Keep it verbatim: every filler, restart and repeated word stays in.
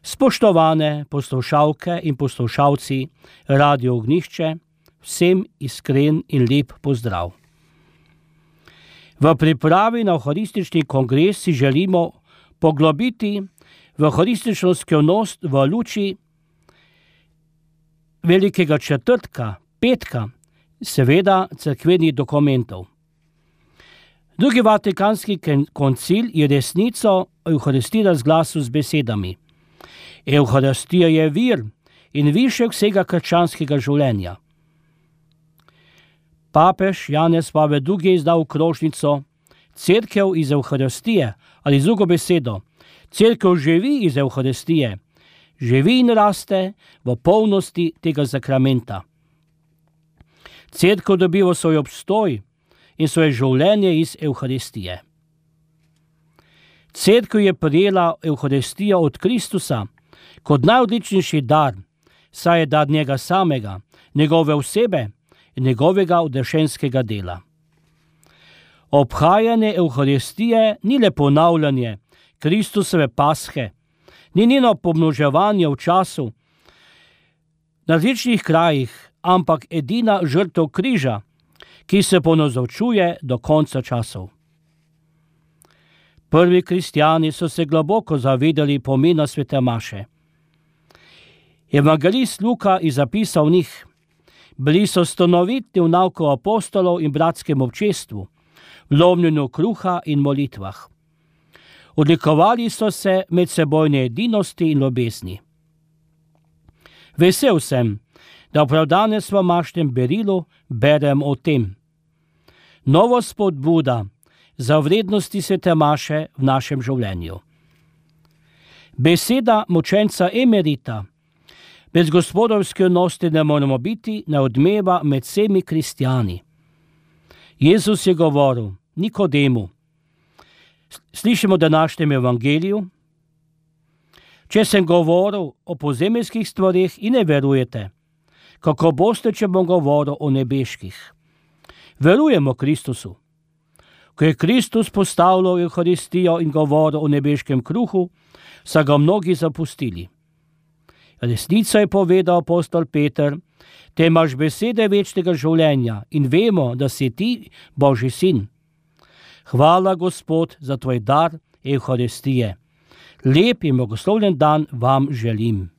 Spoštovane poslušalke in poslušalci Radio Ognjišče, vsem iskren in lep pozdrav. V pripravi na Evharistični kongres si želimo poglobiti v evharistično skrivnost v luči Velikega četrtka, petka, seveda cerkvenih dokumentov. Drugi Vatikanski koncil je resnico Evharistije razglasil z besedami: Evharistija je vir in višek vsega krščanskega življenja. Papež Janez Pavel drugi je izdal krožnico Cerkev iz Evharistije, ali z drugo besedo, Cerkev živi iz Evharistije, živi in raste v polnosti tega zakramenta. Cerkev dobiva svoj obstoj in svoje življenje iz Evharistije. Cerkev je prijela Evharistijo od Kristusa kot najodličnejši dar, saj je dar njega samega, njegove osebe in njegovega odrešenskega dela. Obhajanje Evharistije ni le ponavljanje Kristusove pashe, ni njeno pomnoževanje v času na različnih krajih, ampak edina žrtev križa, ki se ponazorčuje do konca časov. Prvi kristjani so se globoko zavedali pomena svete maše. Evangelist Luka je zapisal v njih: bili so stanovitni v nauku apostolov in bratskem občestvu, v lomljenju kruha in molitvah. Odlikovali so se medsebojne edinosti in ljubezni. Vesel sem, da prav danes v mašnem berilu berem o tem. Novo spodbuda za vrednosti svete maše v našem življenju. Beseda mučenca emerita: brez gospodovske vnosti ne moramo biti, ne odmeva med vsemi kristjani. Jezus je govoril Nikodemu, slišimo v današnjem evangeliju: če sem govoril o pozemeljskih stvareh in ne verujete, kako boste, če bom govoril o nebeških? Verujemo Kristusu. Ko je Kristus postavljal Evharistijo in govoril o nebeškem kruhu, so ga mnogi zapustili. Resnico je povedal apostol Peter: te imaš besede večnega življenja in vemo, da si ti Božji sin. Hvala, Gospod, za tvoj dar Evharistije. Lep in blagoslovljen dan vam želim.